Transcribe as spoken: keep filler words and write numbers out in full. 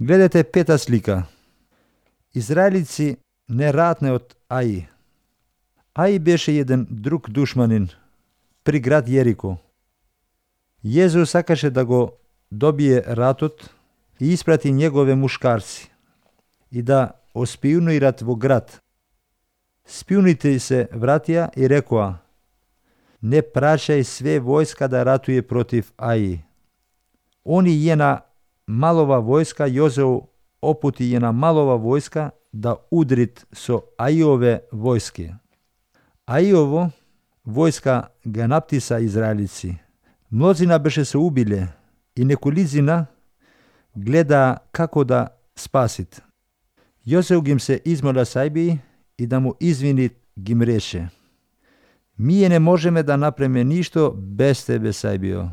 Gledajte peta slika. Izraelici ne ratne od Aji. Aji beše jedan drug dušmanin pri grad Jeriko. Jezus sakaše da go dobije ratot i isprati njegove muškarci i da ospionuirat vo grad. Spionite se vratija i rekoa: ne prašaj sve vojska da ratuje protiv Aji. Oni jena malova vojska, Jozeu oputi jena malova vojska da udrit so Ajove vojske. Ajovo vojska ga naptisa Izraelici. Mnozina beše se ubile i nekolizina gleda kako da spasit. Jozeu gim se izmola sajbi i da mu izvinit gim reše: mi je ne možeme da napreme ništo bez tebe, sajbio.